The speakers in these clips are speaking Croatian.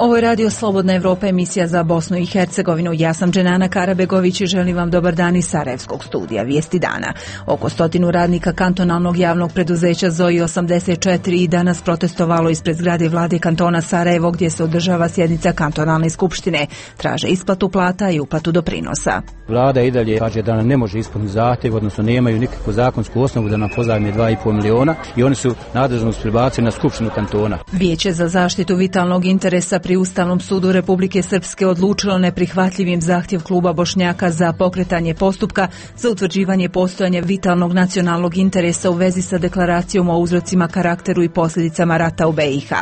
Ovo je Radio Slobodna Evropa, emisija za Bosnu i Hercegovinu. Ja sam Dženana Karabegović i želim vam dobar dan iz Sarajevskog studija. Vijesti dana. Oko 100 radnika kantonalnog javnog preduzeća ZOI 84 i danas protestovalo ispred zgrade vlade kantona Sarajevo, gdje se održava sjednica kantonalne skupštine. Traže isplatu plata i uplatu doprinosa. Vlada i dalje kaže da nam ne može ispuniti zahtjev, odnosno nemaju nikakvu zakonsku osnovu da nam pozajme 2,5 miliona i oni su nadležnost prebacili na skupštinu kantona. Vijeće za zaštitu vitalnog interesa pri Ustavnom sudu Republike Srpske odlučilo neprihvatljivim zahtjev kluba Bošnjaka za pokretanje postupka za utvrđivanje postojanja vitalnog nacionalnog interesa u vezi sa deklaracijom o uzrocima, karakteru i posljedicama rata u BiH.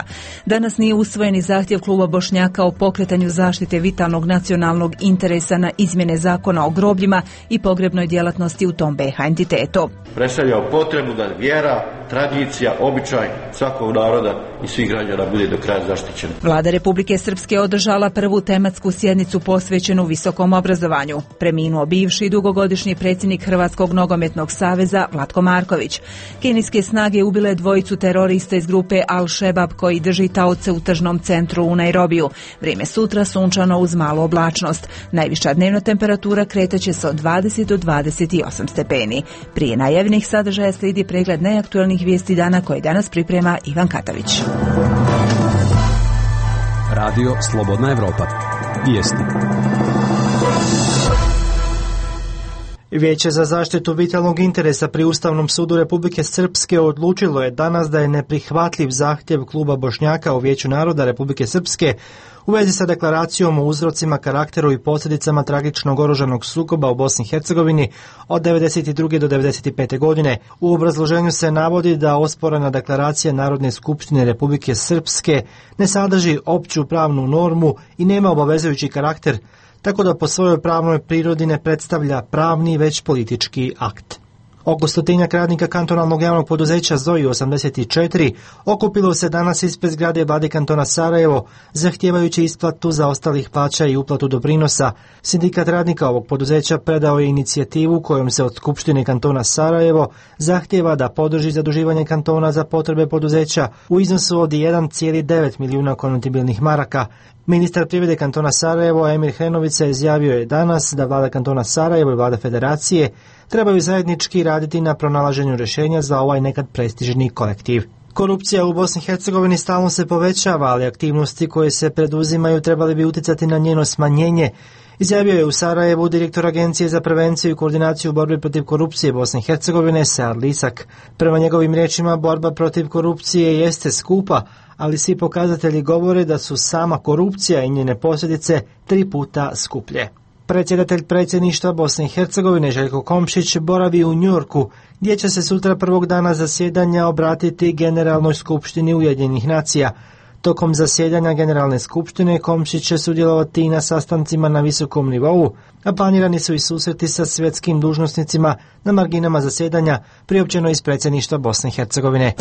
Danas nije usvojeni zahtjev kluba Bošnjaka o pokretanju zaštite vitalnog nacionalnog interesa na izmjene zakona o grobljima i pogrebnoj djelatnosti u tom BiH entitetu. Predstavljao potrebu da vjera, tradicija, običaj svakog naroda i svih građana bude do kraja zaštićena. Vlada Republike Srpske održala prvu tematsku sjednicu posvećenu visokom obrazovanju. Preminuo bivši dugogodišnji predsjednik Hrvatskog nogometnog saveza Vlatko Marković. Kenijske snage ubile dvojicu terorista iz grupe Al-Šebab koji drži taoce u tržnom centru u Nairobiju. Vrijeme sutra sunčano uz malu oblačnost. Najviša dnevna temperatura kretaće se od 20 do 28 stepeni. Prije najavljenih sadržaja slijedi pregled najaktualnijih vijesti dana koje danas priprema Ivan Katavić. Radio Slobodna Evropa. Vijesti. Vijeće za zaštitu vitalnog interesa pri Ustavnom sudu Republike Srpske odlučilo je danas da je neprihvatljiv zahtjev kluba Bošnjaka u Vijeću naroda Republike Srpske u vezi sa deklaracijom o uzrocima, karakteru i posljedicama tragičnog oružanog sukoba u Bosni i Hercegovini od 1992. do 1995. godine. U obrazloženju se navodi da osporena deklaracija Narodne skupštine Republike Srpske ne sadrži opću pravnu normu i nema obavezujući karakter, tako da po svojoj pravnoj prirodi ne predstavlja pravni već politički akt. Oko 100 radnika kantonalnog javnog poduzeća ZOI 84 okupilo se danas ispred zgrade vlade kantona Sarajevo, zahtijevajući isplatu zaostalih plaća i uplatu doprinosa. Sindikat radnika ovog poduzeća predao je inicijativu kojom se od Skupštine kantona Sarajevo zahtijeva da podrži zaduživanje kantona za potrebe poduzeća u iznosu od 1,9 milijuna konvertibilnih maraka. Ministar privrede kantona Sarajevo Emir Hrenovica izjavio je danas da vlada kantona Sarajevo i vlada federacije trebaju zajednički raditi na pronalaženju rješenja za ovaj nekad prestižni kolektiv. Korupcija u Bosni i Hercegovini stalno se povećava, ali aktivnosti koje se preduzimaju trebali bi utjecati na njeno smanjenje, izjavio je u Sarajevu direktor Agencije za prevenciju i koordinaciju borbe protiv korupcije Bosne i Hercegovine Sead Lisak. Prema njegovim riječima, borba protiv korupcije jeste skupa, ali svi pokazatelji govore da su sama korupcija i njene posljedice 3 puta skuplje. Predsjedatelj predsjedništva Bosne i Hercegovine Željko Komšić boravi u Njujorku, gdje će se sutra prvog dana zasjedanja obratiti Generalnoj skupštini Ujedinjenih nacija. Tokom zasjedanja Generalne skupštine Komšić će sudjelovati i na sastancima na visokom nivou, a planirani su i susreti sa svjetskim dužnosnicima na marginama zasjedanja priopćeno iz predsjedništva Bosne i Hercegovine.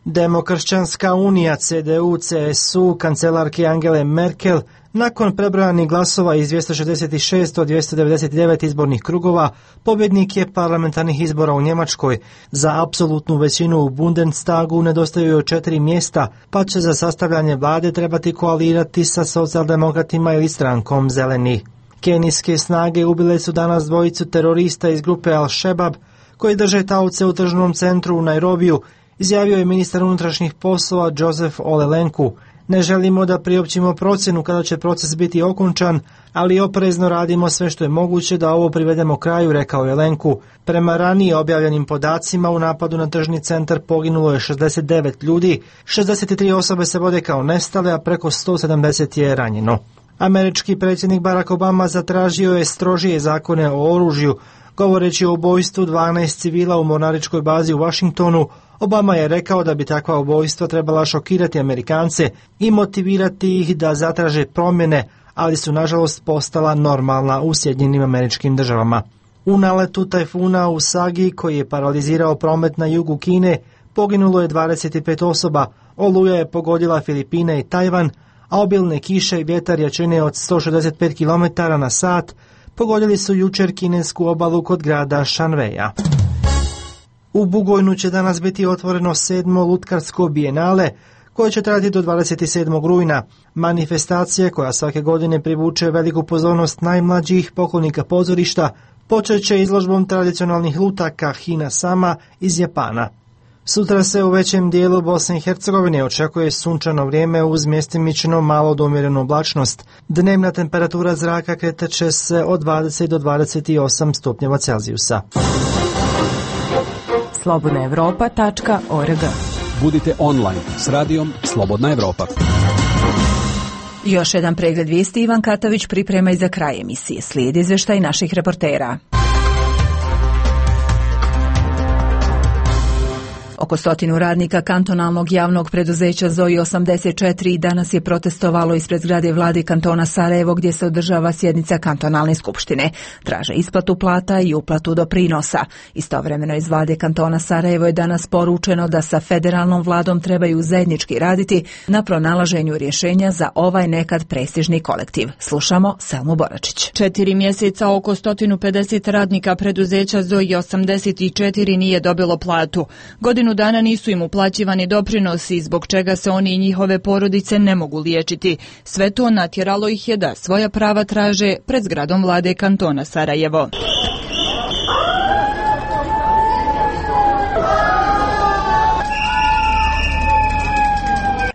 Demokršćanska unija CDU-CSU kancelarke Angele Merkel nakon prebrojanih glasova iz 266 od 299 izbornih krugova pobjednik je parlamentarnih izbora u Njemačkoj. Za apsolutnu većinu u Bundestagu nedostaju joj 4 mjesta, pa će za sastavljanje vlade trebati koalirati sa socijaldemokratima ili strankom Zeleni. Kenijske snage ubile su danas dvojicu terorista iz grupe Al-Šebab koji drže taoce u tržnom centru u Nairobiju, izjavio je ministar unutrašnjih poslova Joseph Olelenku. Ne želimo da priopćimo procjenu kada će proces biti okončan, ali oprezno radimo sve što je moguće da ovo privedemo kraju, rekao je Lenku. Prema ranije objavljenim podacima u napadu na tržni centar poginulo je 69 ljudi, 63 osobe se vode kao nestale, a preko 170 je ranjeno. Američki predsjednik Barack Obama zatražio je strožije zakone o oružju. Govoreći o ubojstvu 12 civila u mornaričkoj bazi u Washingtonu, Obama je rekao da bi takva ubojstva trebala šokirati Amerikance i motivirati ih da zatraže promjene, ali su nažalost postala normalna u Sjedinjenim Američkim Državama. U naletu tajfuna Usagi, koji je paralizirao promet na jugu Kine, poginulo je 25 osoba, oluja je pogodila Filipine i Tajvan, a obilne kiše i vjetar jačine od 165 km na sat pogodili su jučer kinesku obalu kod grada Šanveja. U Bugojnu će danas biti otvoreno 7. lutkarsko bijenale, koje će trajati do 27. rujna. Manifestacija, koja svake godine privuče veliku pozornost najmlađih poklonika pozorišta, počet će izložbom tradicionalnih lutaka Hina Sama iz Japana. Sutra se u većem dijelu Bosne i Hercegovine očekuje sunčano vrijeme uz mjestimično malo do umjerenu oblačnost. Dnevna temperatura zraka kretat će se od 20 do 28 stupnjeva Celzijusa. slobodnaevropa.org. Budite online s radijom Slobodna Evropa. Još jedan pregled vijesti Ivan Katavić priprema i za kraj emisije. Slijedi izvještaj naših reportera. Oko 100 radnika kantonalnog javnog preduzeća ZOI 84 danas je protestovalo ispred zgrade vlade kantona Sarajevo gdje se održava sjednica kantonalne skupštine. Traže isplatu plata i uplatu doprinosa. Istovremeno iz vlade kantona Sarajevo je danas poručeno da sa federalnom vladom trebaju zajednički raditi na pronalaženju rješenja za ovaj nekad prestižni kolektiv. Slušamo Selmu Boračić. 4 mjeseca oko 150 radnika preduzeća ZOI 84 nije dobilo platu. Godinu dana nisu im uplaćivani doprinosi, zbog čega se oni i njihove porodice ne mogu liječiti. Sve to natjeralo ih je da svoja prava traže pred zgradom vlade kantona Sarajevo.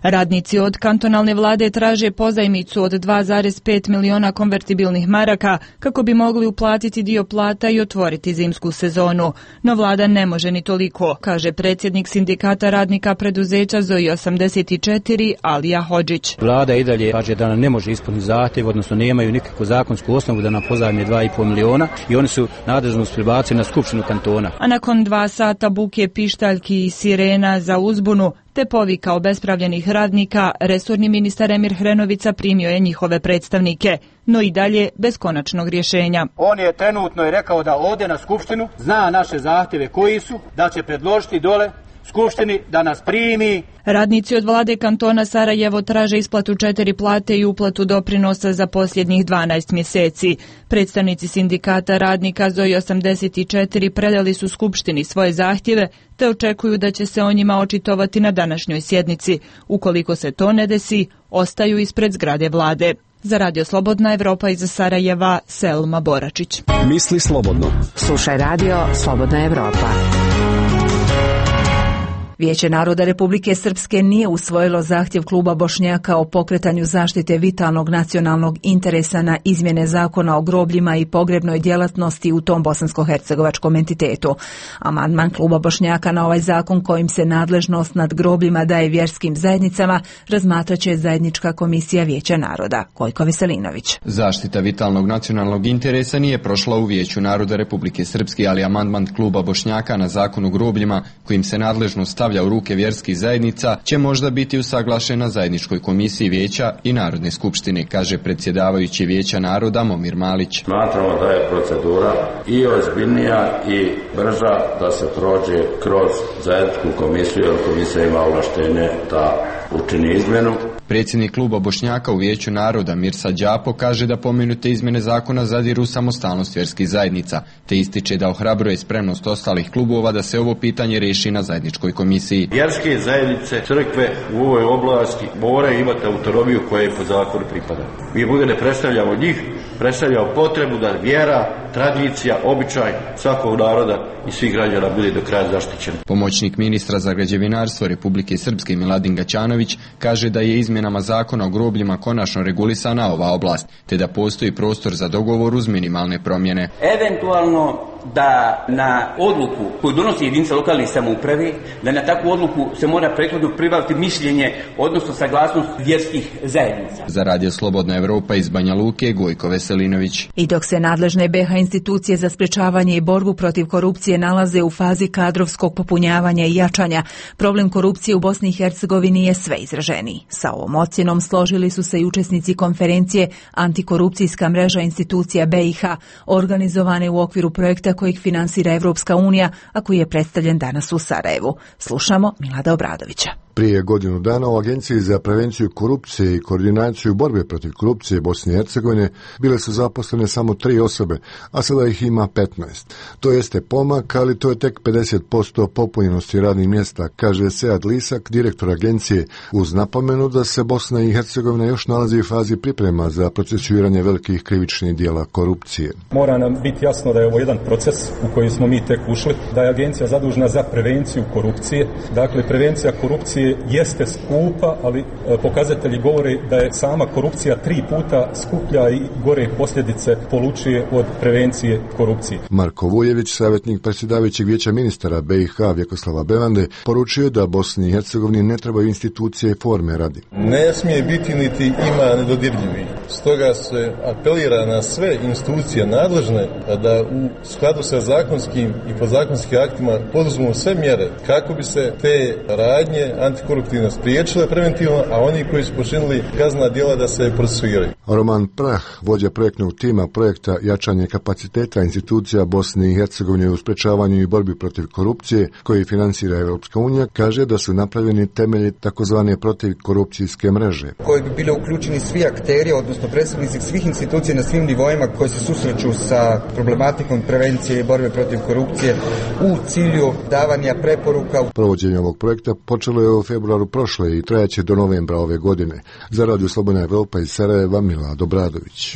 Radnici od kantonalne vlade traže pozajmicu od 2,5 miliona konvertibilnih maraka kako bi mogli uplatiti dio plata i otvoriti zimsku sezonu. No vlada ne može ni toliko, kaže predsjednik sindikata radnika preduzeća ZOI 84 Alija Hodžić. Vlada i dalje kaže da nam ne može ispuniti zahtjev, odnosno nemaju nikakvu zakonsku osnovu da nam pozajme 2,5 miliona i oni su nadležnost prebacili na skupštinu kantona. A nakon 2 sata buke, pištaljki i sirena za uzbunu te povika obespravljenih radnika, resorni ministar Emir Hrenovica primio je njihove predstavnike, no i dalje bez konačnog rješenja. On je trenutno rekao da ode na skupštinu, zna naše zahtjeve koji su, da će predložiti dole skupštini da nas primi. Radnici od vlade kantona Sarajevo traže isplatu 4 plate i uplatu doprinosa za posljednjih 12 mjeseci. Predstavnici sindikata radnika ZOI 84 predali su skupštini svoje zahtjeve te očekuju da će se o njima očitovati na današnjoj sjednici. Ukoliko se to ne desi, ostaju ispred zgrade vlade. Za Radio Slobodna Evropa iz Sarajeva, Selma Boračić. Misli slobodno. Slušaj Radio Slobodna Evropa. Vijeće naroda Republike Srpske nije usvojilo zahtjev kluba Bošnjaka o pokretanju zaštite vitalnog nacionalnog interesa na izmjene zakona o grobljima i pogrebnoj djelatnosti u tom bosansko-hercegovačkom entitetu. Amandman kluba Bošnjaka na ovaj zakon kojim se nadležnost nad grobljima daje vjerskim zajednicama razmatraće zajednička komisija Vijeća naroda. Kojko Veselinović. Zaštita vitalnog nacionalnog interesa nije prošla u Vijeću naroda Republike Srpske, ali amandman kluba Bošnjaka na zakon o grobljima kojim se nadležnost stavlja u ruke vjerskih zajednica će možda biti usaglašen na zajedničkoj komisiji Vijeća i Narodne skupštine, kaže predsjedavajući Vijeća naroda Momir Malić. Smatramo da je procedura i ozbiljnija i brža da se prođe kroz zajedničku komisiju, jer komisija ima ovlaštenje da učini izmjenu. Predsjednik kluba Bošnjaka u Vijeću naroda Mirsa Đapo kaže da pomenute izmjene zakona zadiru samostalnost vjerskih zajednica, te ističe da ohrabruje spremnost ostalih klubova da se ovo pitanje riješi na zajedničkoj komisiji. Vjerske zajednice, crkve u ovoj oblasti moraju imati autonomiju koja je po zakonu pripada. Mi ovdje ne predstavljamo njih, predstavljamo potrebu da vjera, tradicija, običaj svakog naroda i svih građana bude do kraja zaštićen. Pomoćnik ministra za građevinarstvo Republike Srpske Miladin Gaćanović kaže da je izmjenama zakona o grobljima konačno regulisana ova oblast, te da postoji prostor za dogovor uz minimalne promjene. Eventualno da na odluku koju donosi jedinica lokalne samouprave, da na takvu odluku se mora prethodno pribaviti mišljenje, odnosno saglasnost vjerskih zajednica. Za Radio Slobodna Evropa iz Banja Luke, Gojko Veselinović. I dok se nadležne BiH institucije za sprečavanje i borbu protiv korupcije nalaze u fazi kadrovskog popunjavanja i jačanja, problem korupcije u Bosni i Hercegovini je sve izraženiji. Sa ovom ocjenom složili su se i učesnici konferencije Antikorupcijska mreža institucija BiH, organizovane u okviru projekta kojeg finansira Evropska unija, a koji je predstavljen danas u Sarajevu. Slušamo Milada Obradovića. Prije godinu dana u Agenciji za prevenciju korupcije i koordinaciju borbe protiv korupcije Bosne i Hercegovine bile su zaposlene samo 3 osobe, a sada ih ima 15. To jeste pomak, ali to je tek 50% popunjenosti radnih mjesta, kaže Sead Lisak, direktor agencije, uz napomenu da se Bosna i Hercegovina još nalazi u fazi priprema za procesuiranje velikih krivičnih dijela korupcije. Mora nam biti jasno da je ovo jedan proces u koji smo mi tek ušli, da je agencija zadužena za prevenciju korupcije. Dakle, prevencija korupcije jeste skupa, ali pokazatelji govore da je sama korupcija 3 puta skuplja i gore posljedice polučuje od prevencije korupcije. Marko Vujević, savjetnik predsjedavajućeg vijeća ministara BiH Vjekoslava Bevande, poručio da Bosni i Hercegovini ne trebaju institucije i forme radi. Ne smije biti niti ima nedodirljivih. Stoga se apelira na sve institucije nadležne da u skladu sa zakonskim i podzakonskim aktima poduzmu sve mjere kako bi se te radnje antikoruptivno spriječile preventivno, a oni koji su počinili kaznena djela da se procesuiraju. Roman Prah, vođa projektnog tima projekta Jačanje kapaciteta institucija Bosne i Hercegovine u sprečavanju i borbi protiv korupcije, koji finansira Europska unija, kaže da su napravljeni temelji takozvane protivkorupcijske mreže. Koji bi bili uključeni svi akteri, odnosno predstavnici svih institucija na svim nivoima koji se susreću sa problematikom prevencije i borbe protiv korupcije u cilju davanja preporuka. Provođenje ovog projekta počelo je u februaru prošle i trajaće do novembra ove godine. Za Radio Slobodna Evropa iz Sarajeva, Milad Obradović.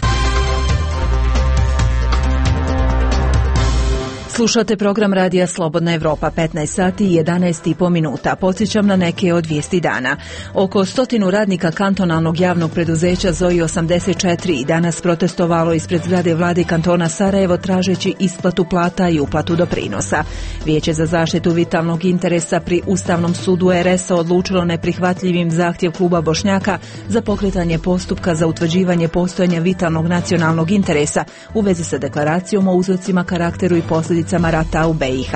Slušate program Radija Slobodna Evropa, 15 sati i 11,5 minuta. Podsjećam na neke od vijesti dana. Oko 100 radnika kantonalnog javnog preduzeća ZOI 84 danas protestovalo ispred zgrade vlade kantona Sarajevo tražeći isplatu plata i uplatu doprinosa. Vijeće za zaštitu vitalnog interesa pri Ustavnom sudu RS odlučilo neprihvatljivim zahtjev kluba Bošnjaka za pokretanje postupka za utvrđivanje postojanja vitalnog nacionalnog interesa u vezi sa deklaracijom o uzrocima, karakteru i posljedicama rata u BiH.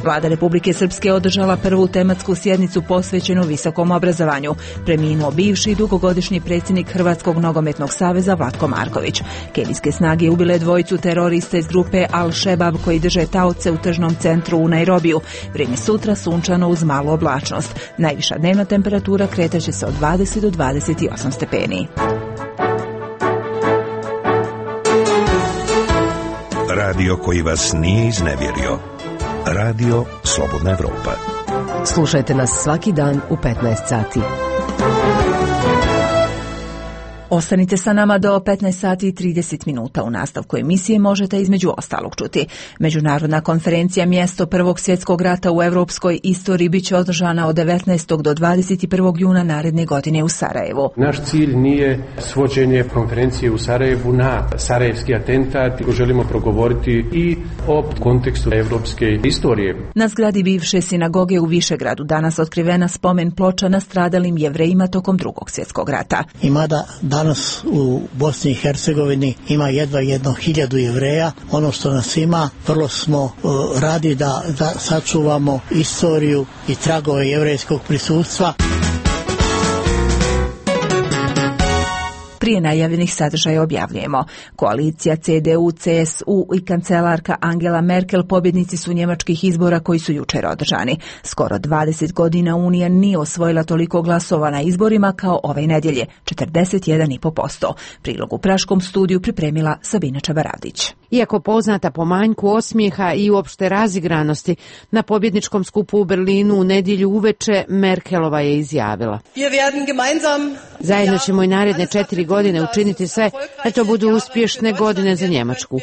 Vlada Republike Srpske održala prvu tematsku sjednicu posvećenu visokom obrazovanju. Preminuo bivši dugogodišnji predsjednik Hrvatskog nogometnog saveza Vlatko Marković. Kenijske snage ubile dvojicu terorista iz grupe Al-Šebab koji drže taoce u tržnom centru u Nairobiju. Vrijeme sutra sunčano uz malu oblačnost. Najviša dnevna temperatura kretaće se od 20 do 28 stepeni. Radio koji vas nije iznevjerio. Radio Slobodna Evropa. Slušajte nas svaki dan u 15 sati. Ostanite sa nama do 15 sati i 30 minuta. U nastavku emisije možete između ostalog čuti. Međunarodna konferencija Mjesto Prvog svjetskog rata u europskoj istoriji bit će održana od 19. do 21. juna naredne godine u Sarajevu. Naš cilj nije svođenje konferencije u Sarajevu na sarajevski atentat. Želimo progovoriti i o kontekstu europske istorije. Na zgradi bivše sinagoge u Višegradu danas otkrivena spomen ploča nastradalim Jevrejima tokom Drugog svjetskog rata. Danas u Bosni i Hercegovini ima jedva 1.000 Jevreja. Ono što nas ima, vrlo smo radi da sačuvamo istoriju i tragove jevrejskog prisustva. Prije najavljenih sadržaja objavljujemo. Koalicija CDU, CSU i kancelarka Angela Merkel pobjednici su njemačkih izbora koji su jučer održani. Skoro 20 godina Unija nije osvojila toliko glasova na izborima kao ove nedjelje, 41,5%. Prilog u praškom studiju pripremila Sabina Čabaradić. Iako poznata po manjku osmijeha i uopšte razigranosti, na pobjedničkom skupu u Berlinu u nedjelju uveče Merkelova je izjavila: zajedno ćemo i naredne 4 godine učiniti sve da to budu uspješne godine za Njemačku.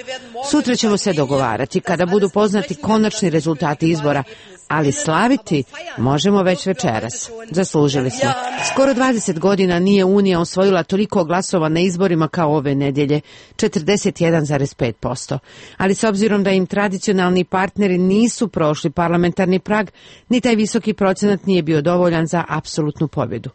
Sutra ćemo se dogovarati kada budu poznati konačni rezultati izbora, ali slaviti možemo već večeras. Zaslužili smo. Skoro 20 godina nije Unija osvojila toliko glasova na izborima kao ove nedjelje, 41,5%. Ali s obzirom da im tradicionalni partneri nisu prošli parlamentarni prag, ni taj visoki procenat nije bio dovoljan za apsolutnu pobjedu.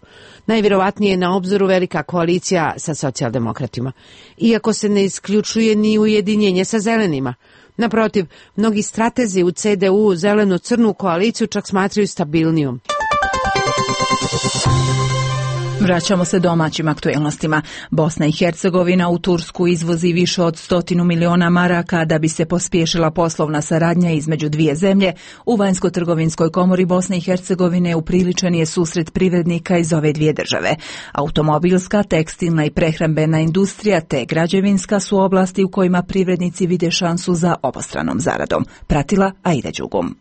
Najvjerovatnije je na obzoru velika koalicija sa socijaldemokratima, iako se ne isključuje ni ujedinjenje sa zelenima. Naprotiv, mnogi stratezi u CDU zeleno-crnu koaliciju čak smatraju stabilnijom. Vraćamo se domaćim aktuelnostima. Bosna i Hercegovina u Tursku izvozi više od 100 miliona maraka da bi se pospješila poslovna saradnja između dvije zemlje. U Vanjsko-trgovinskoj komori Bosne i Hercegovine upriličen je susret privrednika iz ove dvije države. Automobilska, tekstilna i prehrambena industrija te građevinska su oblasti u kojima privrednici vide šansu za obostranom zaradom. Pratila Aida Đugum.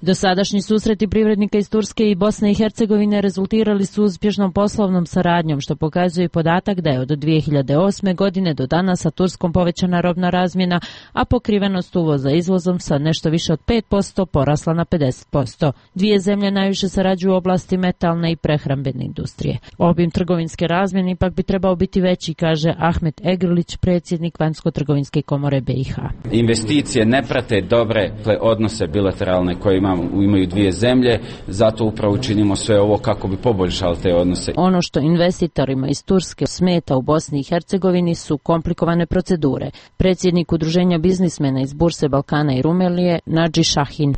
Dosadašnji susreti privrednika iz Turske i Bosne i Hercegovine rezultirali su uspješnom poslovnom saradnjom, što pokazuje podatak da je od 2008. godine do danas sa Turskom povećana robna razmjena, a pokrivenost uvoza izvozom sa nešto više od 5% porasla na 50%. Dvije zemlje najviše sarađuju u oblasti metalne i prehrambene industrije. Obim trgovinske razmjene ipak bi trebao biti veći, kaže Ahmet Egrlić, predsjednik Vanjsko-trgovinske komore BiH. Investicije ne prate dobre odnose bilateralne koje imaju dvije zemlje, zato upravo činimo sve ovo kako bi poboljšali te odnose. Ono što investitorima iz Turske smeta u Bosni i Hercegovini su komplikovane procedure. Predsjednik Udruženja biznismena iz Burse Balkana i Rumelije, Nadži Šahin.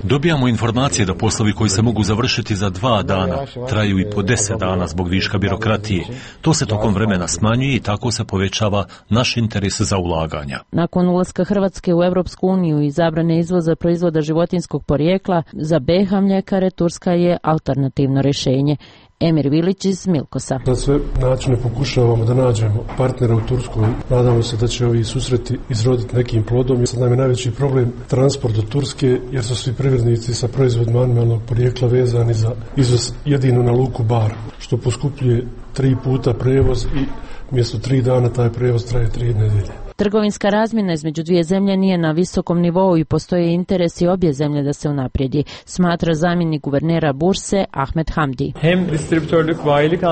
Dobijamo informacije da poslovi koji se mogu završiti za 2 dana traju i po 10 dana zbog viška birokratije. To se tokom vremena smanjuje i tako se povećava naš interes za ulaganja. Nakon ulaska Hrvatske u Europsku uniju i zabrane izvoza proizvoda životinjskog porijekla, za BiH mljekare Turska je alternativno rješenje. Emir Vilić iz Milkosa. Na sve načine pokušavamo da nađemo partnera u Turskoj. Nadamo se da će ovi susreti izroditi nekim plodom. Sad nam je najveći problem transport do Turske, jer su svi privrednici sa proizvodima animalnog porijekla vezani za izvoz jedino na luku Bar, što poskupljuje 3 puta prevoz i mjesto 3 dana taj prevoz traje 3 nedelje. Trgovinska razmjena između dvije zemlje nije na visokom nivou i postoje interesi obje zemlje da se unaprijedi, smatra zamjenik guvernera Burse Ahmet Hamdi.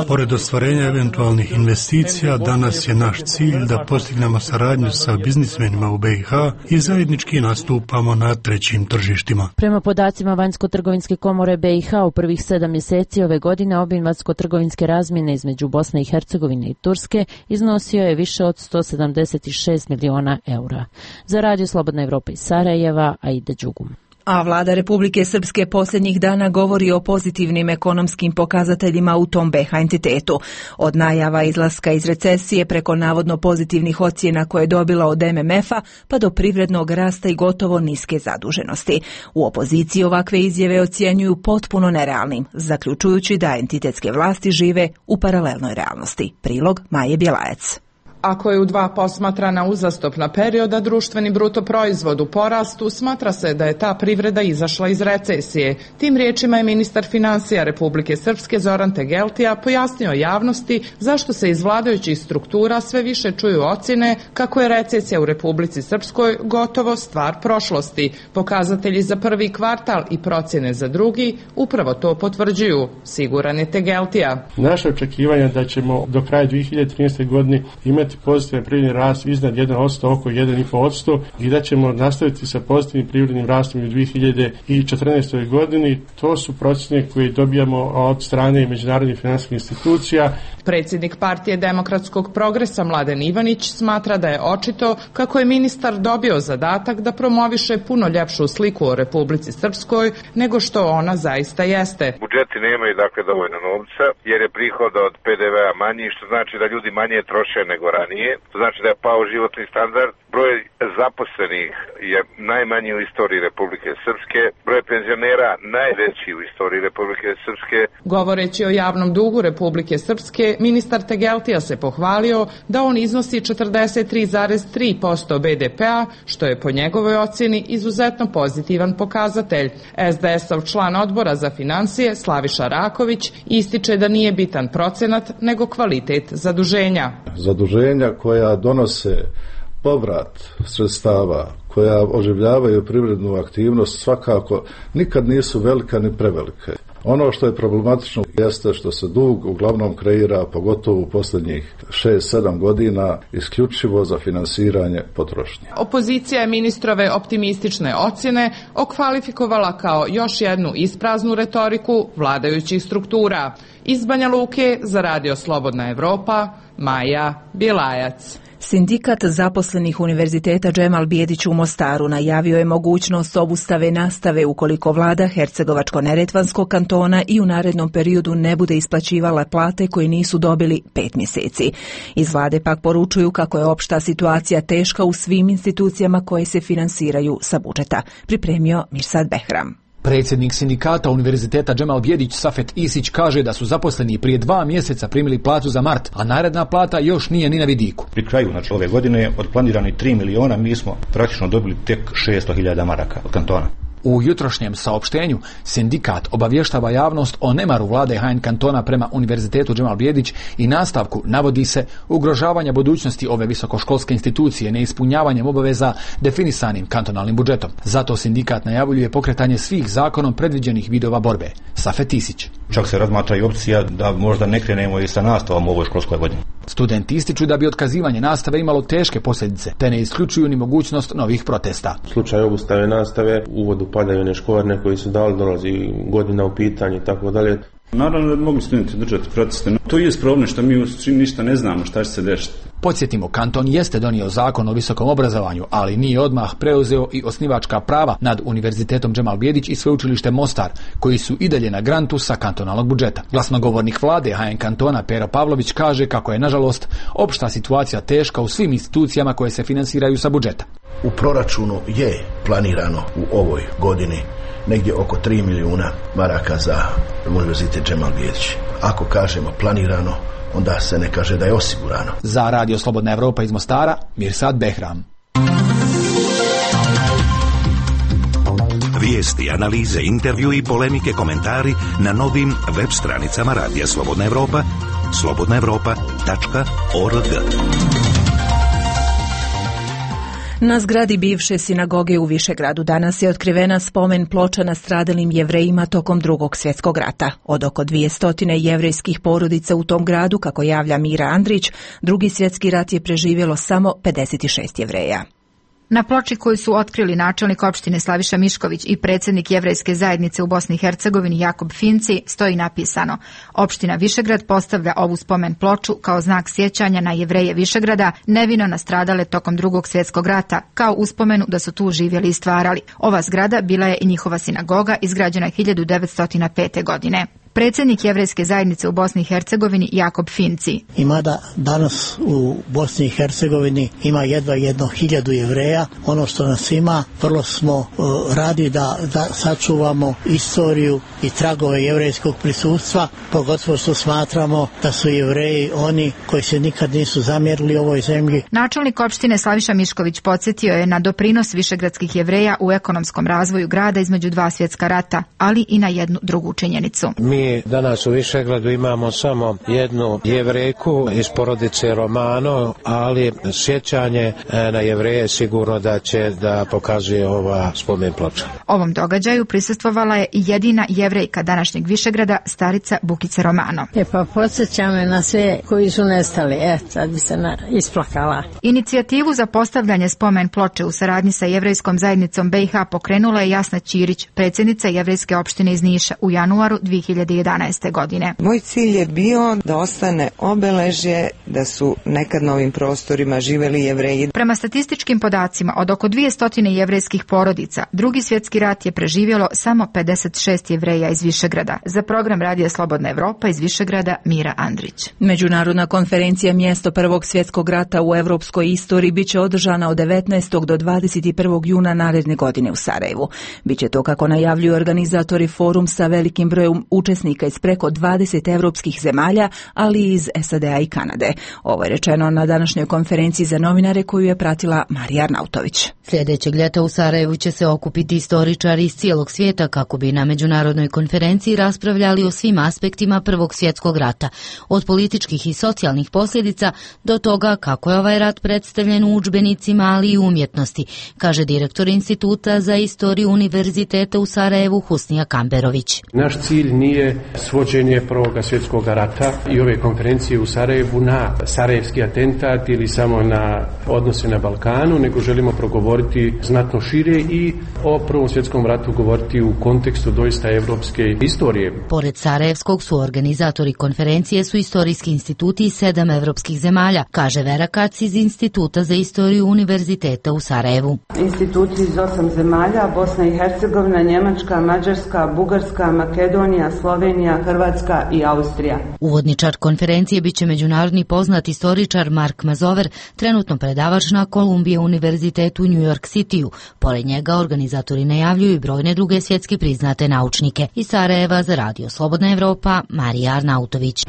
Pored ostvarenja eventualnih investicija, danas je naš cilj da postignemo saradnju sa biznismenima u BiH i zajednički nastupamo na trećim tržištima. Prema podacima Vanjsko-trgovinske komore BiH u prvih 7 mjeseci ove godine obim vanjsko-trgovinske razmjene između Bosne i Hercegovine i Turske iznosio je više od 176 miliona eura. Za Radio Slobodna Evropa iz Sarajeva, Aida Đugum. A vlada Republike Srpske posljednjih dana govori o pozitivnim ekonomskim pokazateljima u tom BiH entitetu. Od najava izlaska iz recesije preko navodno pozitivnih ocjena koje je dobila od MMF-a pa do privrednog rasta i gotovo niske zaduženosti. U opoziciji ovakve izjave ocjenjuju potpuno nerealnim, zaključujući da entitetske vlasti žive u paralelnoj realnosti. Prilog Maje Bjelajac. Ako je u 2 posmatrana uzastopna perioda društveni bruto proizvod u porastu, smatra se da je ta privreda izašla iz recesije. Tim riječima je ministar financija Republike Srpske Zoran Tegeltija pojasnio javnosti zašto se iz vladajućih struktura sve više čuju ocjene kako je recesija u Republici Srpskoj gotovo stvar prošlosti. Pokazatelji za prvi kvartal i procjene za drugi upravo to potvrđuju, siguran je Tegeltija. Naše očekivanje da ćemo do kraja 2013. godine imati pozitivan privredni rast iznad 1%, oko 1,5% i da ćemo nastaviti sa pozitivnim privrednim rastom u 2014. godini. To su procjene koje dobijamo od strane međunarodnih financijskih institucija. Predsjednik partije Demokratskog progresa Mladen Ivanić smatra da je očito kako je ministar dobio zadatak da promoviše puno ljepšu sliku o Republici Srpskoj nego što ona zaista jeste. Budžeti nemaju dakle dovoljno novca jer je prihod od PDV-a manji, što znači da ljudi manje troše nego ranije. To znači da je pao životni standard. Broj zaposlenih je najmanji u istoriji Republike Srpske. Broj penzionera najveći u istoriji Republike Srpske. Govoreći o javnom dugu Republike Srpske, ministar Tegeltija se pohvalio da on iznosi 43,3% BDP-a, što je po njegovoj ocjeni izuzetno pozitivan pokazatelj. SDS-ov član odbora za financije Slaviša Raković ističe da nije bitan procenat, nego kvalitet zaduženja. Zaduženja koja donose povrat sredstava, koja oživljavaju privrednu aktivnost, svakako nikad nisu velika ni prevelike. Ono što je problematično jeste što se dug uglavnom kreira, pogotovo u posljednjih 6-7 godina, isključivo za finansiranje potrošnje. Opozicija je ministrove optimistične ocjene okvalifikovala kao još jednu ispraznu retoriku vladajućih struktura. Iz Banja Luke za Radio Slobodna Evropa, Maja Bjelajac. Sindikat zaposlenih Univerziteta Džemal Bijedić u Mostaru najavio je mogućnost obustave nastave ukoliko vlada Hercegovačko-neretvanskog kantona i u narednom periodu ne bude isplaćivala plate koje nisu dobili 5 mjeseci. Iz vlade pak poručuju kako je opšta situacija teška u svim institucijama koje se finansiraju sa budžeta. Pripremio Mirsad Behram. Predsjednik sindikata Univerziteta Džemal Bijedić Safet Isić kaže da su zaposleni prije 2 mjeseca primili platu za mart, a naredna plata još nije ni na vidiku. Pri kraju ove godine od planiranih 3 miliona mi smo praktično dobili tek 600.000 maraka od kantona. U jutrošnjem saopštenju sindikat obavještava javnost o nemaru vlade HN kantona prema Univerzitetu Džemal Bijedić i nastavku navodi se ugrožavanja budućnosti ove visokoškolske institucije neispunjavanjem obaveza definisanim kantonalnim budžetom. Zato sindikat najavljuje pokretanje svih zakonom predviđenih vidova borbe. Safet Isić. Čak se razmatra i opcija da možda ne krenemo i sa nastavom u ovoj školskoj godini. Studenti ističu da bi otkazivanje nastave imalo teške posljedice, te ne isključuju ni mogućnost novih protesta. U slučaju obustave nastave, uvodu padaju one školarine koji su dali, dolazi godina u pitanje i tako dalje. Naravno da mogli studenti držati proteste. To je problem što mi ništa ne znamo šta će se desiti. Podsjetimo, kanton jeste donio zakon o visokom obrazovanju, ali nije odmah preuzeo i osnivačka prava nad Univerzitetom Džemal Bijedić i sveučilište Mostar, koji su i dalje na grantu sa kantonalnog budžeta. Glasnogovornik vlade HN kantona Pero Pavlović kaže kako je, nažalost, opšta situacija teška u svim institucijama koje se finansiraju sa budžeta. U proračunu je planirano u ovoj godini negdje oko 3 milijuna maraka za Univerzitet Džemal Bijedić. Ako kažemo planirano, onda se ne kaže da je osigurano. Za Radio Slobodna Evropa iz Mostara, Mirsad Behram. Vijesti, analize, intervju i polemike, komentari na novim web stranicama Radija Slobodna Evropa, slobodnaevropa.org. Na zgradi bivše sinagoge u Višegradu danas je otkrivena spomen ploča nastradalim Jevrejima tokom Drugog svjetskog rata. Od oko 200 jevrejskih porodica u tom gradu, kako javlja Mira Andrić, Drugi svjetski rat je preživjelo samo 56 Jevreja. Na ploči koju su otkrili načelnik opštine Slaviša Mišković i predsjednik jevrejske zajednice u Bosni i Hercegovini Jakob Finci stoji napisano: opština Višegrad postavlja ovu spomen ploču kao znak sjećanja na Jevreje Višegrada, nevino nastradale tokom Drugog svjetskog rata, kao uspomenu da su tu živjeli i stvarali. Ova zgrada bila je i njihova sinagoga, izgrađena 1905. godine. Predsjednik jevrejske zajednice u Bosni i Hercegovini Jakob Finci. Ima da danas u Bosni i Hercegovini ima jedva 1.000 Jevreja. Ono što nas ima, vrlo smo radi da sačuvamo istoriju i tragove jevrejskog prisustva, pogotovo što smatramo da su Jevreji oni koji se nikad nisu zamjerili ovoj zemlji. Načelnik opštine Slaviša Mišković podsjetio je na doprinos višegradskih Jevreja u ekonomskom razvoju grada između 2 svjetska rata, ali i na jednu drugu činjenicu. Mi danas u Višegradu imamo samo jednu Jevrejku iz porodice Romano, ali sjećanje na Jevreje sigurno da će da pokazuje ova spomen ploča. Ovom događaju prisustvovala je i jedina Jevrejka današnjeg Višegrada, starica Bukica Romano. Pa podsjeća me na sve koji su nestali, sad bi se isplakala. Inicijativu za postavljanje spomen ploče u saradnji sa jevrejskom zajednicom BiH pokrenula je Jasna Ćirić, predsjednica jevrejske opštine iz Niša, u januaru 2011. godine. Moj cilj je bio da ostane obeležje da su nekad na ovim prostorima živeli Jevreji. Prema statističkim podacima, od oko 200 jevrejskih porodica, Drugi svjetski rat je preživjelo samo 56 Jevreja iz Višegrada. Za program Radija Slobodna Evropa iz Višegrada, Mira Andrić. Međunarodna konferencija Mjesto Prvog svjetskog rata u europskoj istoriji biće održana od 19. do 21. juna naredne godine u Sarajevu. Biće to, kako najavljuju organizatori, forum sa velikim brojem učesnika iz preko 20 europskih zemalja, ali i iz SAD-a i Kanade. Ovo je rečeno na današnjoj konferenciji za novinare koju je pratila Marija Arnautović. Sljedećeg ljeta u Sarajevu će se okupiti istoričari iz cijelog svijeta kako bi na međunarodnoj konferenciji raspravljali o svim aspektima Prvog svjetskog rata, od političkih i socijalnih posljedica do toga kako je ovaj rat predstavljen u udžbenicima, ali i umjetnosti, kaže direktor Instituta za istoriju Univerziteta u Sarajevu Husnija Kamberović. Naš cilj nije svođenje Prvog svjetskog rata i ove konferencije u Sarajevu na sarajevski atentat ili samo na odnose na Balkanu, nego želimo progovoriti govoriti znatno šire i o Prvom svjetskom ratu govoriti u kontekstu doista evropske istorije. Pored Sarajevskog su organizatori konferencije su istorijski instituti iz 7 evropskih zemalja, kaže Vera Kac iz Instituta za istoriju Univerziteta u Sarajevu. Instituti iz 8 zemalja, Bosna i Hercegovina, Njemačka, Mađarska, Bugarska, Makedonija, Slovenija, Hrvatska i Austrija. Uvodničar konferencije biće međunarodni poznat istoričar Mark Mazover, trenutno predavač na Columbia univerzitetu u New York Cityu. Pored njega organizatori najavljuju i brojne druge svjetski priznate naučnike. Iz Sarajeva za Radio Slobodna Evropa, Marija Arnautović.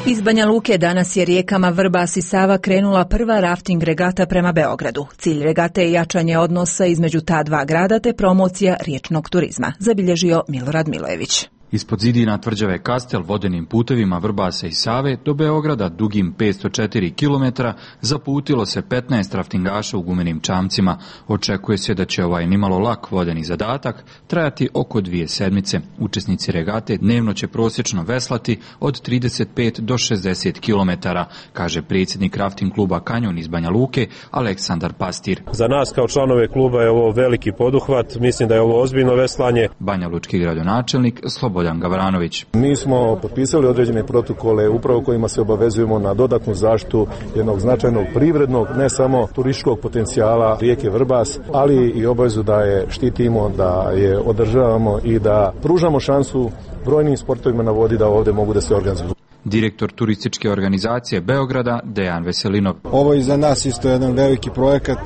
Iz Banja Luke danas je rijekama Vrbas i Sava krenula prva rafting regata prema Beogradu. Cilj regate je jačanje odnosa između ta dva grada te promocija riječnog turizma, zabilježio Milorad Milojević. Ispod zidina tvrđave Kastel vodenim putevima Vrbasa i Save do Beograda dugim 504 km zaputilo se 15 raftingaša u gumenim čamcima. Očekuje se da će ovaj nimalo lak vodeni zadatak trajati oko 2 sedmice. Učesnici regate dnevno će prosječno veslati od 35 do 60 km, kaže predsjednik rafting kluba Kanjon iz Banja Luke Aleksandar Pastir. Za nas kao članove kluba je ovo veliki poduhvat, mislim da je ovo ozbiljno veslanje. Banja Lučki gradonačelnik Slobodan Gavranović. Mi smo potpisali određene protokole upravo kojima se obavezujemo na dodatnu zaštitu jednog značajnog privrednog, ne samo turističkog potencijala rijeke Vrbas, ali i obavezu da je štitimo, da je održavamo i da pružamo šansu brojnim sportovima na vodi da ovdje mogu da se organizuju. Direktor turističke organizacije Beograda Dejan Veselinov. Ovo je za nas isto jedan veliki projekat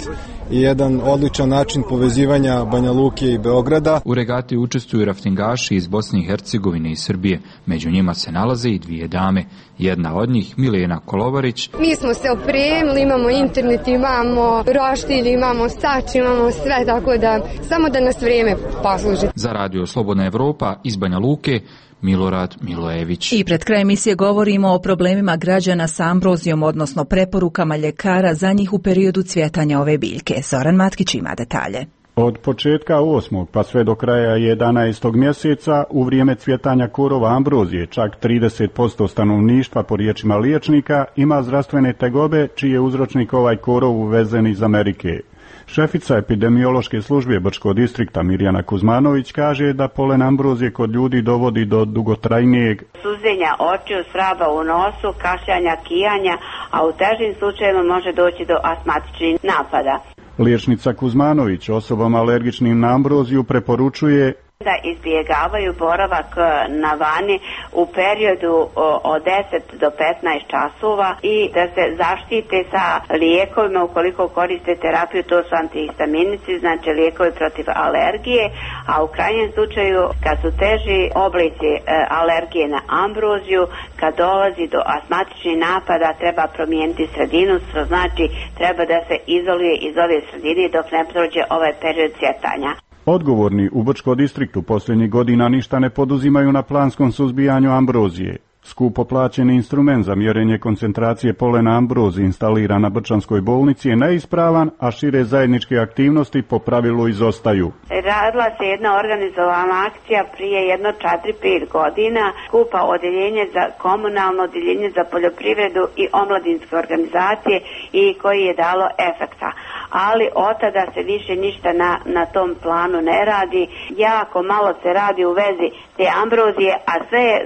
i jedan odličan način povezivanja Banja Luke i Beograda. U regati učestvuju raftingaši iz Bosne i Hercegovine i Srbije. Među njima se nalaze i 2 dame. Jedna od njih, Milena Kolovarić. Mi smo se opremili, imamo internet, imamo roštilj, imamo sač, imamo sve, tako da samo da nas vrijeme posluži. Za Radio Slobodna Evropa iz Banja Luke, Milorad Milojević. I pred kraj emisije govorimo o problemima građana s ambrozijom, odnosno preporukama ljekara za njih u periodu cvjetanja ove biljke. Zoran Matkić ima detalje. Od početka 8. pa sve do kraja 11. mjeseca u vrijeme cvjetanja korova ambrozije čak 30% stanovništva po riječima liječnika ima zdravstvene tegobe čiji je uzročnik ovaj korov uvezen iz Amerike. Šefica epidemiološke službe Brčkog distrikta Mirjana Kuzmanović kaže da polen ambrozije kod ljudi dovodi do dugotrajnijeg suzenja očiju, svraba u nosu, kašljanja, kijanja, a u težim slučajevima može doći do astmatičnih napada. Liječnica Kuzmanović osobama alergičnim na ambroziju preporučuje da izbjegavaju boravak na vani u periodu od 10 do 15 časova i da se zaštite sa lijekovima ukoliko koriste terapiju, to su antihistaminici, znači lijekovi protiv alergije, a u krajnjem slučaju kad su teži oblici alergije na ambroziju, kad dolazi do astmatičnih napada treba promijeniti sredinu, što znači treba da se izoluje iz ove sredine dok ne prođe ovaj period cvjetanja. Odgovorni u Brčkom distriktu posljednjih godina ništa ne poduzimaju na planskom suzbijanju ambrozije. Skupo plaćeni instrument za mjerenje koncentracije polena ambrozije instaliran na Brčanskoj bolnici je neispravan, a šire zajedničke aktivnosti po pravilu izostaju. Radila se jedna organizovana akcija prije jedno 4-5 godina, skupa odjeljenje za komunalno, odjeljenje za poljoprivredu i omladinske organizacije i koji je dalo efekta. Ali od tada se više ništa na tom planu ne radi. Jako malo se radi u vezi te ambrozije, a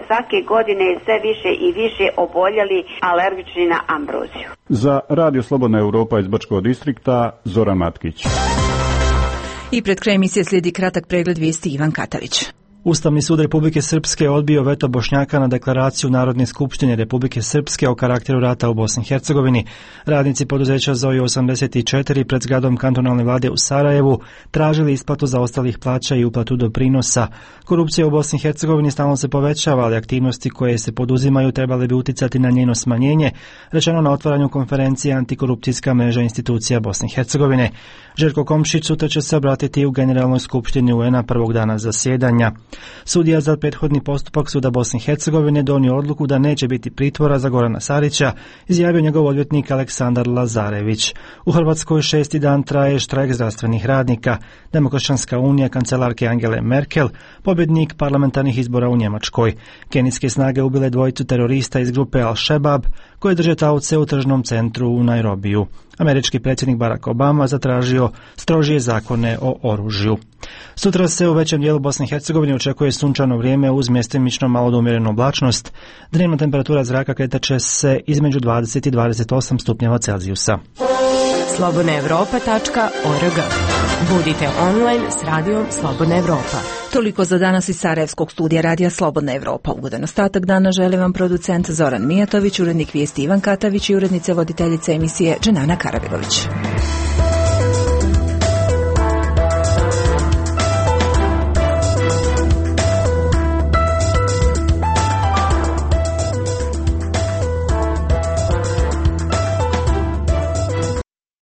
svake godine je sve više i više oboljeli alergični na ambroziju. Za Radio Slobodna Evropa iz Brčkog distrikta, Zoran Matkić. I pred kraj emisije slijedi kratak pregled vijesti Ivan Katavić. Ustavni sud Republike Srpske odbio veto Bošnjaka na deklaraciju Narodne skupštine Republike Srpske o karakteru rata u Bosni i Hercegovini. Radnici poduzeća Zoe 84 pred zgradom kantonalne vlade u Sarajevu tražili isplatu zaostalih plaća i uplatu doprinosa. Korupcija u Bosni i Hercegovini stalno se povećava, ali aktivnosti koje se poduzimaju trebale bi uticati na njeno smanjenje, rečeno na otvaranju konferencije Antikorupcijska mreža institucija Bosne i Hercegovine. Željko Komšić sutra će se obratiti u Generalnoj skupštini UN-a prvog dana zasjedanja. Sudija za prethodni postupak Suda Bosne i Hercegovine donio odluku da neće biti pritvora za Gorana Sarića, izjavio njegov odvjetnik Aleksandar Lazarević. U Hrvatskoj 6. dan traje štrajk zdravstvenih radnika. Demokršćanska unija kancelarke Angele Merkel, pobjednik parlamentarnih izbora u Njemačkoj. Kenijske snage ubile dvojicu terorista iz grupe Al-Shabaab koje drže taoce u tržnom centru u Nairobiju. Američki predsjednik Barack Obama zatražio strožije zakone o oružju. Sutra se u većem dijelu Bosne i Hercegovine očekuje sunčano vrijeme uz mjestimično malo do umjerenu oblačnost. Dnevna temperatura zraka kretat će se između 20 i 28 stupnjeva Celzijusa. slobodnaevropa.org. Budite online s radijom Slobodna Evropa. Toliko za danas iz Sarajevskog studija radija Slobodna Evropa. Ugodan ostatak dana želi vam producent Zoran Mijatović, urednik vijesti Ivan Katavić i urednice voditeljice emisije Dženana Karabilović.